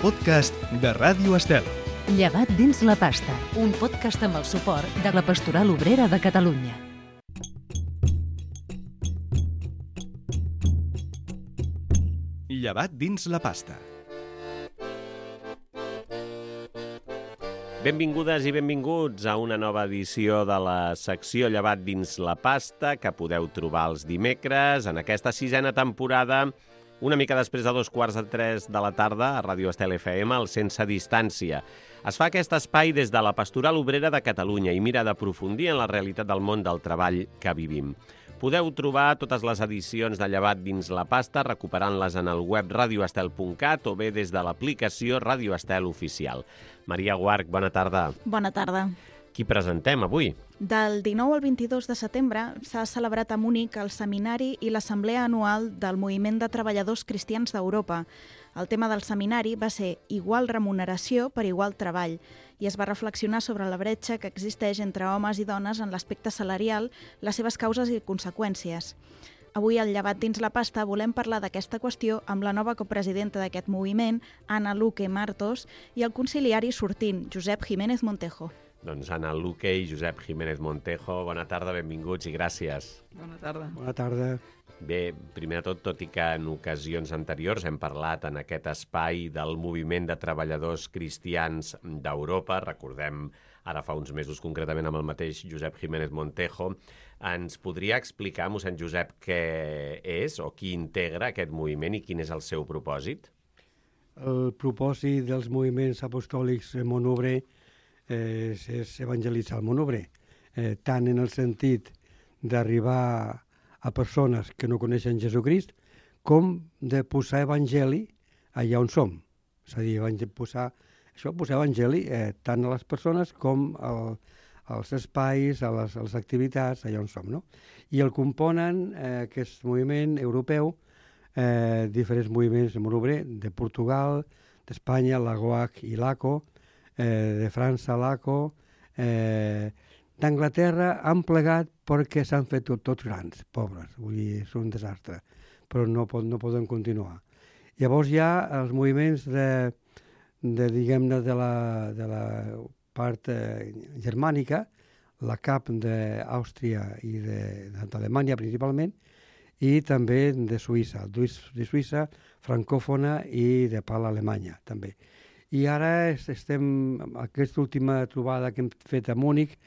podcast de Ràdio Estel. Llevat dins la pasta, un podcast amb el suport de la Pastoral Obrera de Catalunya. Llevat dins la pasta. Benvingudes i benvinguts a una nova edició de la secció Llevat dins la pasta que podeu trobar els dimecres en aquesta sisena temporada, una mica després de 2:45 de la tarda a Ràdio Estel FM, al Sense Distància. Es fa aquest espai des de la Pastoral Obrera de Catalunya i mira d'aprofundir en la realitat del món del treball que vivim. Podeu trobar totes les edicions de Llevat dins la pasta recuperant-les en el web radioestel.cat o bé des de l'aplicació Ràdio Estel Oficial. Maria Guarch, bona tarda. Bona tarda. Qui presentem avui? Del 19 al 22 de setembre s'ha celebrat a Múnich el seminari i l'assemblea anual del Moviment de Treballadors Cristians d'Europa. El tema del seminari va ser igual remuneració per igual treball i es va reflexionar sobre la bretxa que existeix entre homes i dones en l'aspecte salarial, les seves causes i conseqüències. Avui, al Llevat dins la pasta, volem parlar d'aquesta qüestió amb la nova copresidenta d'aquest moviment, Ana Luque Martos, i el conciliari sortint, Josep Jiménez Montejo. Doncs Ana Luque i Josep Jiménez Montejo, bona tarda, benvinguts i gràcies. Bona tarda. Bona tarda. Bé, primer de tot i que en ocasions anteriors hem parlat en aquest espai del Moviment de Treballadors Cristians d'Europa, recordem ara fa uns mesos concretament amb el mateix Josep Jiménez Montejo, ens podria explicar, mossèn Josep, què és o qui integra aquest moviment i quin és el seu propòsit? El propòsit dels moviments apostòlics en món obrer és evangelitzar el món obrer, tant en el sentit d'arribar a persones que no coneixen Jesucrist, com de posar evangeli allà on som. És a dir, posar evangeli tant a les persones com als espais, a les activitats, allà on som. No? I el componen aquest moviment europeu, diferents moviments de món obrer, de Portugal, d'Espanya, la GOAC i l'ACO, de França, l'ACO, d'Anglaterra han plegat perquè s'han fet tots grans, pobres, vull dir, és un desastre, però no poden continuar. Llavors hi ha els moviments diguem-ne, de la part germànica, la CAP d'Àustria i d'Alemanya principalment, i també de Suïssa, francòfona i de parla alemanya també. I ara aquesta última trobada que hem fet a Múnich,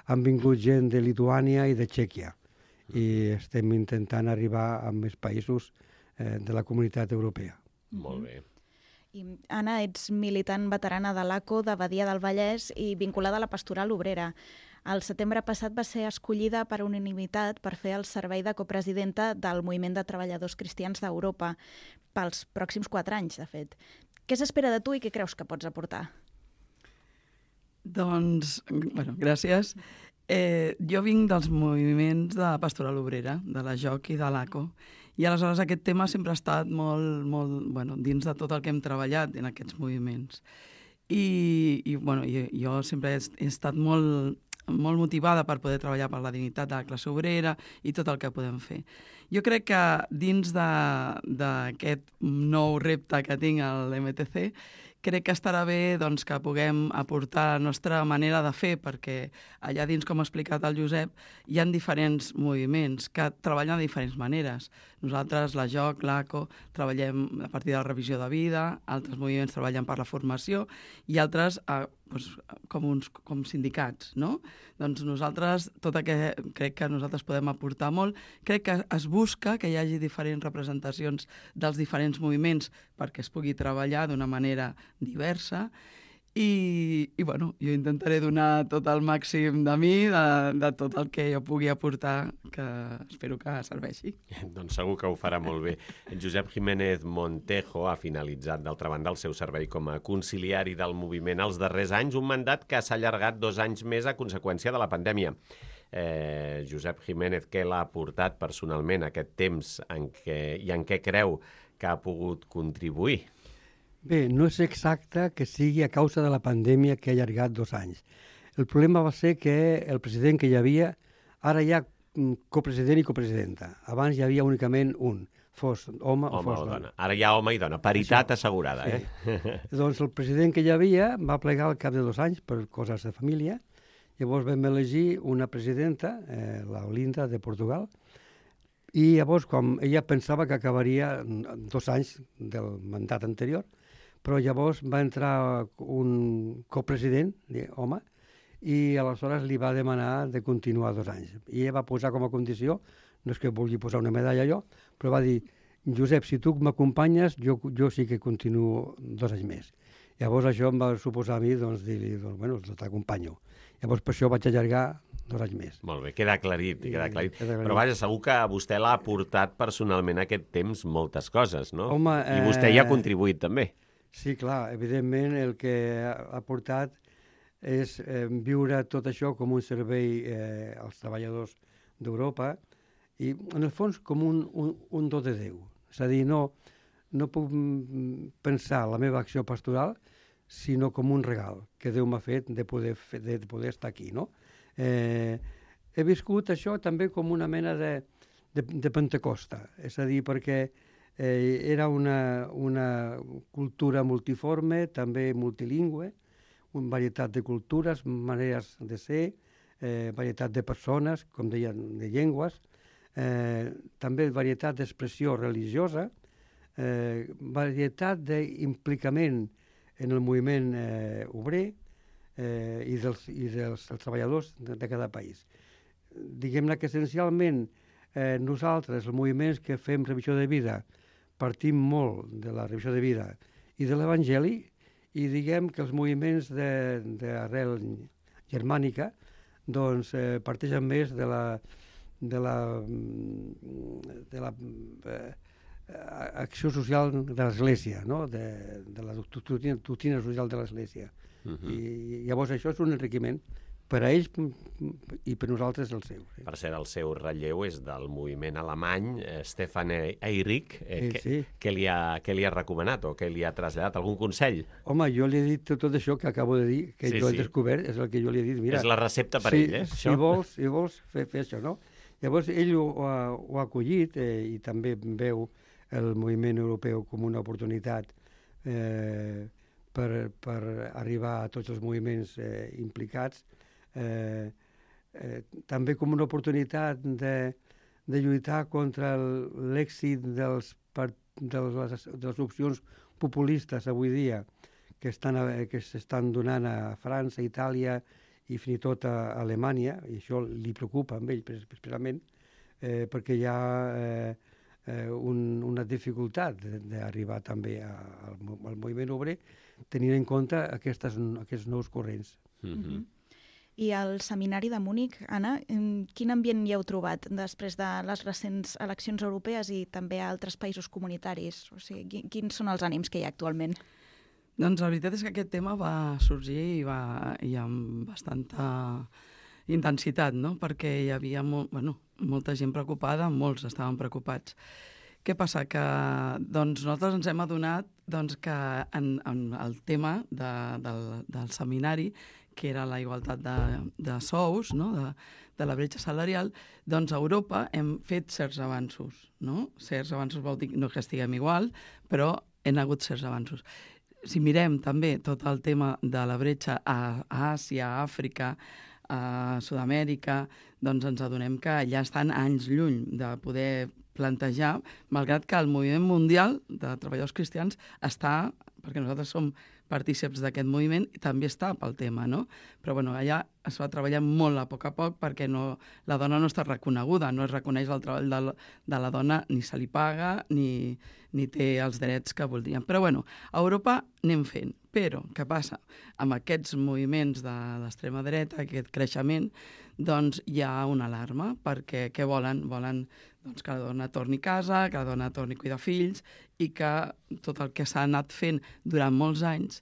han vingut gent de Lituània i de Txèquia i estem intentant arribar a més països de la comunitat europea. Molt bé. I, Anna, ets militant veterana de l'ACO de Badia del Vallès i vinculada a la Pastoral Obrera. El setembre passat va ser escollida per unanimitat per fer el servei de copresidenta del Moviment de Treballadors Cristians d'Europa pels pròxims 4 anys, de fet. Què s'espera de tu i què creus que pots aportar? Doncs, gràcies. Jo vinc dels moviments de la Pastoral Obrera, de la JOC i de l'ACO, i aleshores aquest tema sempre ha estat molt dins de tot el que hem treballat en aquests moviments. I jo sempre he estat molt motivada per poder treballar per la dignitat de la classe obrera i tot el que podem fer. Jo crec que dins d'aquest nou repte que tinc a l'MTC, crec que estarà bé que puguem aportar la nostra manera de fer, perquè allà dins, com ha explicat el Josep, hi ha diferents moviments que treballen de diferents maneres. Nosaltres, la JOC, l'ACO, treballem a partir de la revisió de vida, altres moviments treballen per la formació i altres com sindicats, no? Doncs nosaltres, crec que nosaltres podem aportar molt. Crec que es busca que hi hagi diferents representacions dels diferents moviments perquè es pugui treballar d'una manera diversa i jo intentaré donar tot el màxim de mi, de tot el que jo pugui aportar, que espero que serveixi. Doncs segur que ho farà molt bé. Josep Jiménez Montejo ha finalitzat, d'altra banda, el seu servei com a conciliari del moviment els darrers anys, un mandat que s'ha allargat 2 anys més a conseqüència de la pandèmia. Josep Jiménez, què l'ha aportat personalment aquest temps en què creu que ha pogut contribuir? Bé, no és exacte que sigui a causa de la pandèmia que ha allargat 2 anys. El problema va ser que el president que hi havia, ara hi ha copresident i copresidenta. Abans hi havia únicament un, fos home o Home fos o dona. dona. Ara hi ha home i dona. Paritat assegurada, Sí. Doncs el president que hi havia va plegar al cap de 2 anys per coses de família. Llavors vam elegir una presidenta, la Olinda de Portugal, i llavors com ella pensava que acabaria 2 anys del mandat anterior, però llavors va entrar un copresident, home, i aleshores li va demanar de continuar 2 anys. I ella va posar com a condició, no és que vulgui posar una medalla jo, però va dir, Josep, si tu m'acompanyes, jo sí que continuo 2 anys més. Llavors això em va suposar a mi dir-li, bueno, t'acompanyo. Llavors per això vaig allargar 2 anys més. Molt bé, queda aclarit, queda aclarit. Queda aclarit. Però vaja, segur que a vostè l'ha aportat personalment aquest temps moltes coses, no? Home, I vostè hi ha contribuït també. Sí, clar, evidentment el que ha portat és viure tot això com un servei als treballadors d'Europa i, en el fons, com un do de Déu. És a dir, no puc pensar la meva acció pastoral sinó com un regal que Déu m'ha fet de poder estar aquí, no? He viscut això també com una mena de Pentecosta, és a dir, perquè era una cultura multiforme, també multilingüe, una varietat de cultures, maneres de ser, varietat de persones, com deien, de llengües, també varietat d'expressió religiosa, varietat d'implicament en el moviment obrer i dels treballadors de cada país. Diguem-ne que essencialment nosaltres, els moviments que fem revisió de vida, partim molt de la revisió de vida i de l'Evangeli, i diguem que els moviments d'arrel germànica doncs, parteixen més de la acció social de l'Església, no? de la doctrina social de l'Església. I llavors això és un enriquiment per a ells i per nosaltres el seu. Sí. Per cert, el seu relleu és del moviment alemany, Stefan Eyrig. Sí. Què li ha recomanat o què li ha traslladat? Algun consell? Home, jo li he dit tot això que acabo de dir, que jo he descobert, és el que jo li he dit. Mira, és la recepta per ell, Si vols fer això, no? Llavors ell ho ha acollit i també veu el moviment europeu com una oportunitat per arribar a tots els moviments implicats, també com una oportunitat de lluitar contra l'èxit de les opcions populistes avui dia que s'estan donant a França, Itàlia i fins i tot a Alemanya, i això li preocupa a ell especialment, perquè hi ha una dificultat d'arribar també al moviment obrer tenint en compte aquests nous corrents. I al Seminari de Múnich, Anna, quin ambient hi heu trobat després de les recents eleccions europees i també a altres països comunitaris? O sigui, quins són els ànims que hi ha actualment? Doncs la veritat és que aquest tema va sorgir i amb bastanta intensitat, no? Perquè hi havia molta gent preocupada, molts estaven preocupats. Què passa? Que nosaltres ens hem adonat que en el tema del seminari, que era la igualtat de sous, no? de la bretxa salarial, doncs a Europa hem fet certs avanços. No? Certs avanços vol dir no que estiguem igual, però hem hagut certs avanços. Si mirem també tot el tema de la bretxa a Àsia, a Àfrica, a Sud-amèrica, doncs ens adonem que ja estan anys lluny de poder plantejar, malgrat que el moviment mundial de treballadors cristians està, perquè nosaltres som partíceps d'aquest moviment, i també està pel tema, no? Però allà es va treballar molt a poc perquè la dona no està reconeguda, no es reconeix el treball de la dona, ni se li paga, ni té els drets que voldrien. Però a Europa anem fent. Però què passa? Amb aquests moviments de l'extrema dreta, aquest creixement, doncs hi ha una alarma, perquè què volen? Volen que la dona torni a casa, que la dona torni a cuidar fills i que tot el que s'ha anat fent durant molts anys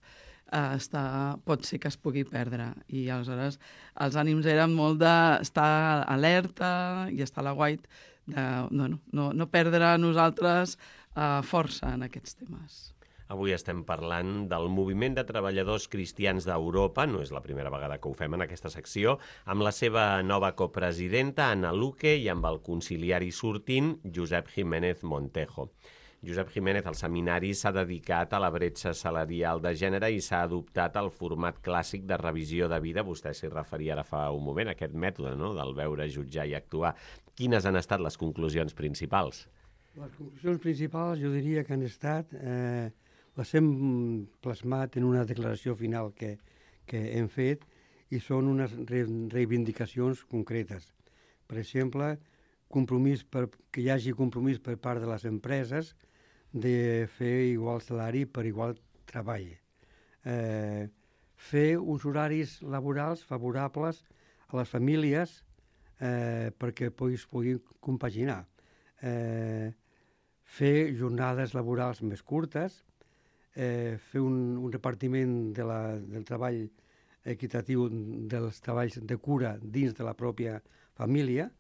pot ser que es pugui perdre. I aleshores els ànims eren molt d'estar alerta i estar a l'aguait, de no perdre nosaltres força en aquests temes. Avui estem parlant del Moviment de Treballadors Cristians d'Europa, no és la primera vegada que ho fem en aquesta secció, amb la seva nova copresidenta, Ana Luque, i amb el conciliari sortint, Josep Jiménez Montejo. Josep Jiménez, el seminari s'ha dedicat a la bretxa salarial de gènere i s'ha adoptat el format clàssic de revisió de vida. Vostè s'hi referia ara fa un moment, aquest mètode, no?, del veure, jutjar i actuar. Quines han estat les conclusions principals? Les conclusions principals jo diria que han estat, les hem plasmat en una declaració final que hem fet i són unes reivindicacions concretes. Per exemple, que hi hagi compromís per part de les empreses de fer igual salari per igual treball. Fer uns horaris laborals favorables a les famílies perquè puguin compaginar. Fer jornades laborals més curtes, fer un repartiment del treball equitatiu dels treballs de cura dins de la pròpia família.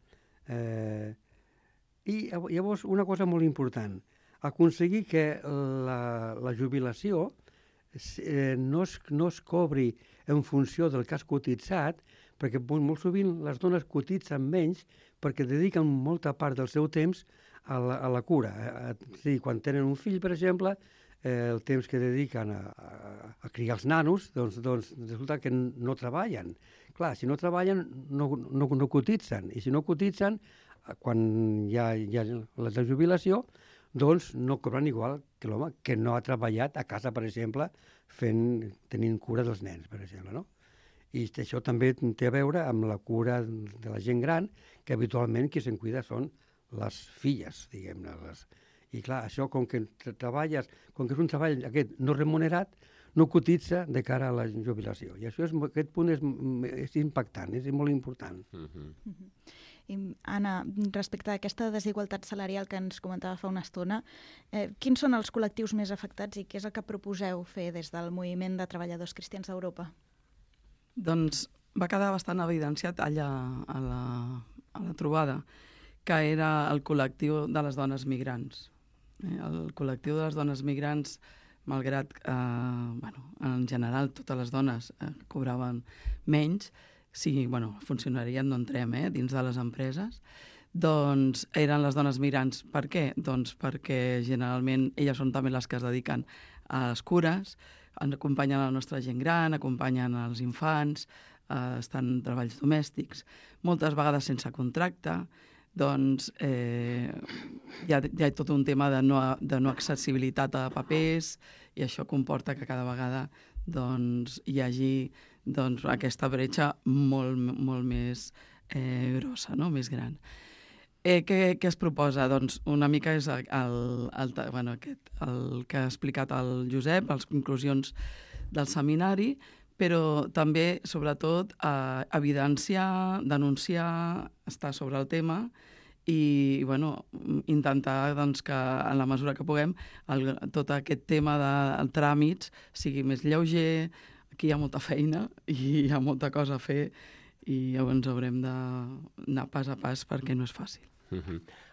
I llavors una cosa molt important, aconseguir que la jubilació no es cobri en funció del que has cotitzat, perquè molt sovint les dones cotitzen menys perquè dediquen molta part del seu temps a la cura. Sí, quan tenen un fill, per exemple, el temps que dediquen a criar els nanos, doncs resulta que no treballen. Clar, si no treballen no cotitzen, i si no cotitzen, quan hi ha la jubilació, doncs no cobren igual que l'home que no ha treballat a casa, per exemple, tenint cura dels nens, per exemple, no? I això també té a veure amb la cura de la gent gran, que habitualment qui se'n cuida són les filles, diguem-ne. I clar, això com que treballes, com que és un treball aquest no remunerat, no cotitza de cara a la jubilació. I aquest punt és impactant, és molt important. I, Anna, respecte a aquesta desigualtat salarial que ens comentava fa una estona, quins són els col·lectius més afectats i què és el que proposeu fer des del Moviment de Treballadors Cristians d'Europa? Doncs va quedar bastant evidenciat allà a la trobada, que era el col·lectiu de les dones migrants. El col·lectiu de les dones migrants, malgrat que en general totes les dones cobraven menys, si funcionarien, no entrem, dins de les empreses, doncs eren les dones migrants. Per què? Doncs perquè generalment elles són també les que es dediquen a les cures, acompanyen la nostra gent gran, acompanyen els infants, estan en treballs domèstics, moltes vegades sense contracte. Doncs hi ha tot un tema de no accessibilitat a papers, i això comporta que cada vegada hi hagi aquesta bretxa molt més grossa, no? Més gran. Què es proposa? Doncs una mica és el que ha explicat el Josep, les conclusions del seminari, però també, sobretot, evidenciar, denunciar, estar sobre el tema i intentar que, en la mesura que puguem, tot aquest tema de tràmits sigui més lleuger. Aquí hi ha molta feina i hi ha molta cosa a fer i llavors haurem d'anar pas a pas perquè no és fàcil.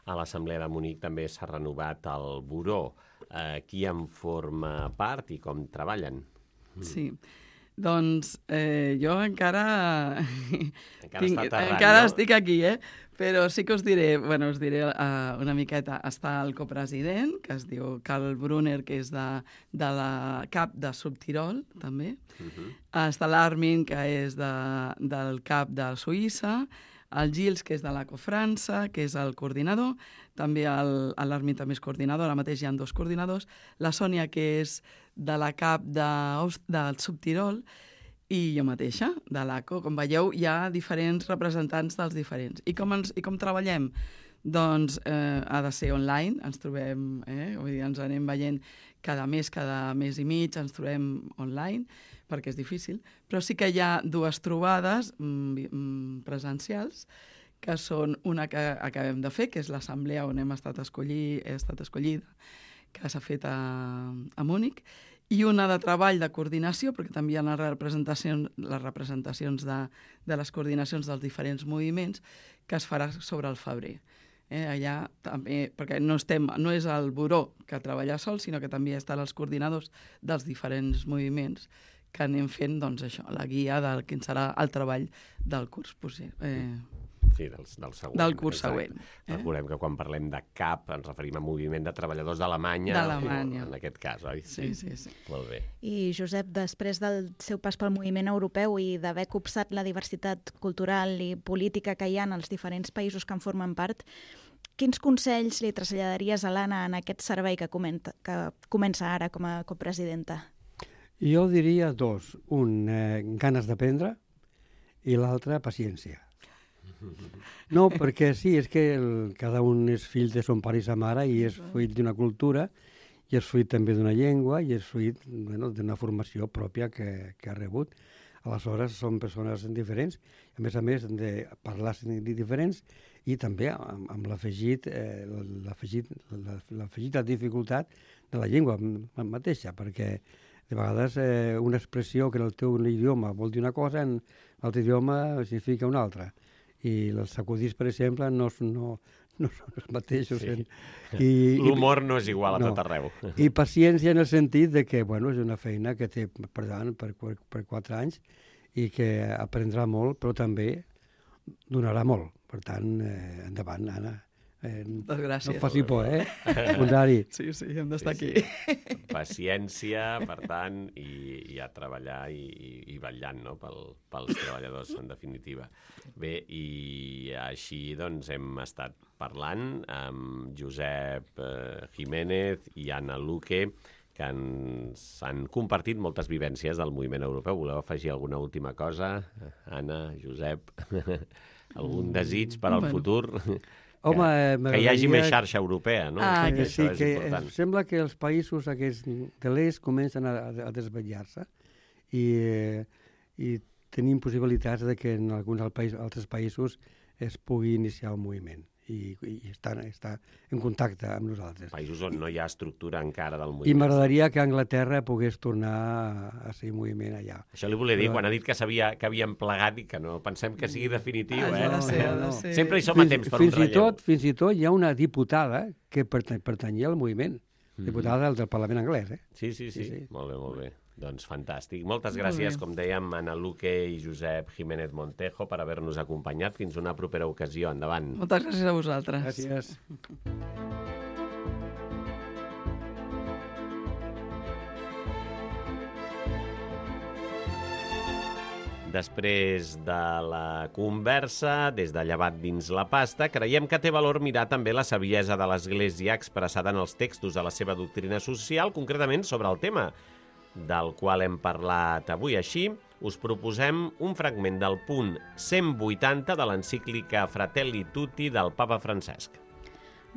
A l'Assemblea de Munic també s'ha renovat el buró. Qui en forma part i com treballen? Sí. Doncs jo encara estic aquí, però sí que us diré una miqueta. Està el copresident, que es diu Karl Brunner, que és de la CAP de Subtirol, també. Està l'Armin, que és del CAP de Suïssa, el Gilles, que és de l'ACO França, que és el coordinador, també l'Armin també és coordinador, ara mateix hi ha 2 coordinadors, la Sònia, que és de la CAP del Subtirol, i jo mateixa, de l'ACO. Com veieu, hi ha diferents representants dels diferents. I com treballem? Doncs ha de ser online, ens trobem, vull dir, ens anem veient cada mes i mig, ens trobem online, perquè és difícil, però sí que hi ha 2 trobades presencials, que són una que acabem de fer, que és l'assemblea on he estat escollida, que s'ha fet a Múnich, i una de treball de coordinació, perquè també hi ha les representacions de les coordinacions dels diferents moviments, que es farà sobre el febrer. Allà també, perquè no és el buró que treballa sol, sinó que també estan els coordinadors dels diferents moviments que anem fent, doncs, això, la guia del quin serà el treball del curs Sí, del següent. Del curs següent. Recordem que quan parlem de CAP ens referim a Moviment de Treballadors d'Alemanya. D'Alemanya. En aquest cas, oi? Sí. Molt bé. I, Josep, després del seu pas pel moviment europeu i d'haver copsat la diversitat cultural i política que hi ha en els diferents països que en formen part, quins consells li traslladaries a l'Anna en aquest servei que comença ara com a copresidenta? Jo diria dos. Un, ganes d'aprendre, i l'altre, paciència. No, perquè sí, és que cada un és fill de son pare i sa mare i és fruit d'una cultura i és fruit també d'una llengua i és fruit d'una formació pròpia que ha rebut. Aleshores, són persones diferents, a més, de parlar diferents i també amb l'afegit de dificultat de la llengua mateixa, perquè de vegades una expressió que en el teu idioma vol dir una cosa, en l'altre idioma significa una altra. I els sacudits, per exemple, no són els mateixos. Sí. L'humor no és igual a tot arreu. I paciència en el sentit de que és una feina que té per davant per 4 anys i que aprendrà molt, però també donarà molt. Per tant, endavant, Anna. Gràcies. No faci por, Contrari. Sí, hem d'estar aquí. Paciència, per tant, i a treballar i vetllant, no?, pels treballadors, en definitiva. Bé, i així doncs hem estat parlant amb Josep Jiménez i Anna Luque, que ens han compartit moltes vivències del moviment europeu. Voleu afegir alguna última cosa? Anna, Josep, algun desig per al futur? Home, que hi hagi més xarxa europea, no? Sí, que sembla que els països aquests de l'est comencen a desvetllar-se i tenim possibilitats de que en alguns altres països es pugui iniciar un moviment i està en contacte amb nosaltres. Països on no hi ha estructura encara del moviment. I m'agradaria que Anglaterra pogués tornar a ser moviment allà. Això li volia dir, quan ha dit que havíem plegat i que no pensem que sigui definitiu, Ha de ser. Sempre hi som a temps per un relleu. Fins i tot hi ha una diputada que pertanyia al moviment, diputada del Parlament anglès. Sí. Molt bé. Doncs fantàstic. Moltes gràcies, com dèiem, Anna Luque i Josep Jiménez Montejo, per haver-nos acompanyat. Fins una propera ocasió. Endavant. Moltes gràcies a vosaltres. Gràcies. Després de la conversa, des de Llevat dins la pasta, creiem que té valor mirar també la saviesa de l'Església expressada en els textos de la seva doctrina social, concretament sobre el tema del qual hem parlat avui. Així, us proposem un fragment del punt 180 de l'encíclica Fratelli Tutti del Papa Francesc.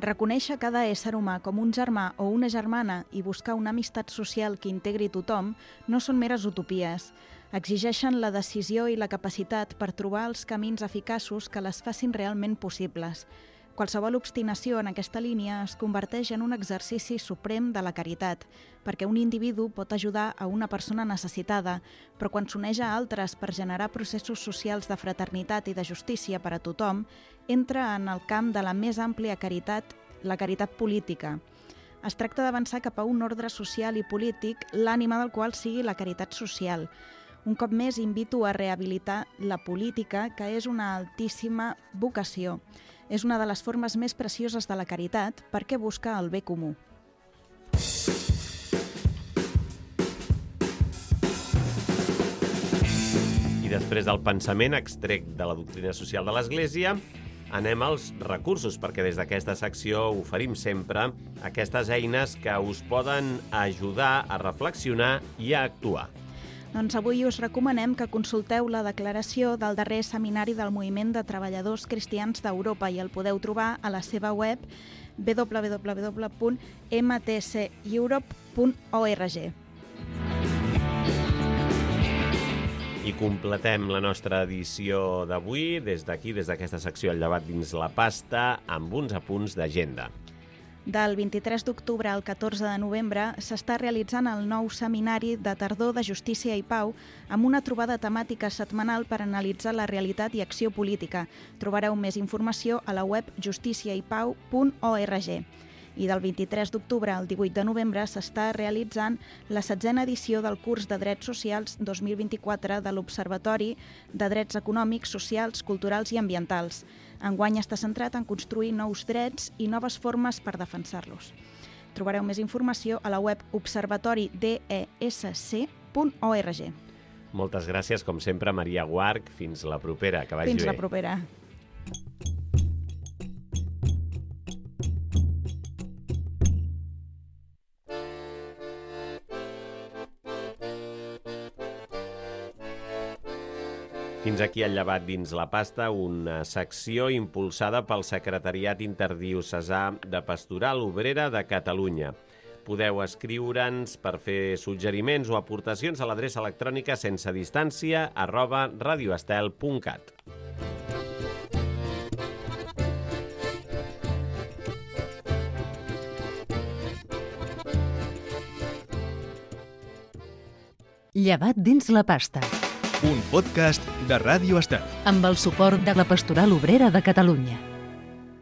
Reconèixer cada ésser humà com un germà o una germana i buscar una amistat social que integri tothom no són meres utopies. Exigeixen la decisió i la capacitat per trobar els camins eficaços que les facin realment possibles. Qualsevol obstinació en aquesta línia es converteix en un exercici suprem de la caritat, perquè un individu pot ajudar a una persona necessitada, però quan s'uneix a altres per generar processos socials de fraternitat i de justícia per a tothom, entra en el camp de la més àmplia caritat, la caritat política. Es tracta d'avançar cap a un ordre social i polític, l'ànima del qual sigui la caritat social. Un cop més invito a rehabilitar la política, que és una altíssima vocació. És una de les formes més precioses de la caritat perquè busca el bé comú. I després del pensament extret de la doctrina social de l'Església, anem als recursos, perquè des d'aquesta secció oferim sempre aquestes eines que us poden ajudar a reflexionar i a actuar. Doncs avui us recomanem que consulteu la declaració del darrer seminari del Moviment de Treballadors Cristians d'Europa i el podeu trobar a la seva web www.mtceurope.org. I completem la nostra edició d'avui des d'aquí, des d'aquesta secció al Llevat dins la pasta, amb uns apunts d'agenda. Del 23 d'octubre al 14 de novembre s'està realitzant el nou seminari de tardor de Justícia i Pau amb una trobada temàtica setmanal per analitzar la realitat i acció política. Trobareu més informació a la web justiciaipau.org. I del 23 d'octubre al 18 de novembre s'està realitzant la 7a edició del curs de Drets Socials 2024 de l'Observatori de Drets Econòmics, Socials, Culturals i Ambientals. Enguany està centrat en construir nous drets i noves formes per defensar-los. Trobareu més informació a la web observatoridesc.org. Moltes gràcies, com sempre, Maria Guarch. Fins la propera, que vagi bé. Fins la propera. Fins aquí el Llevat dins la pasta, una secció impulsada pel Secretariat Interdiocesà de Pastoral Obrera de Catalunya. Podeu escriure'ns per fer suggeriments o aportacions a l'adreça electrònica sensedistància@radioestel.cat. Llevat dins la pasta. Un podcast de Ràdio Estel. Amb el suport de la Pastoral Obrera de Catalunya.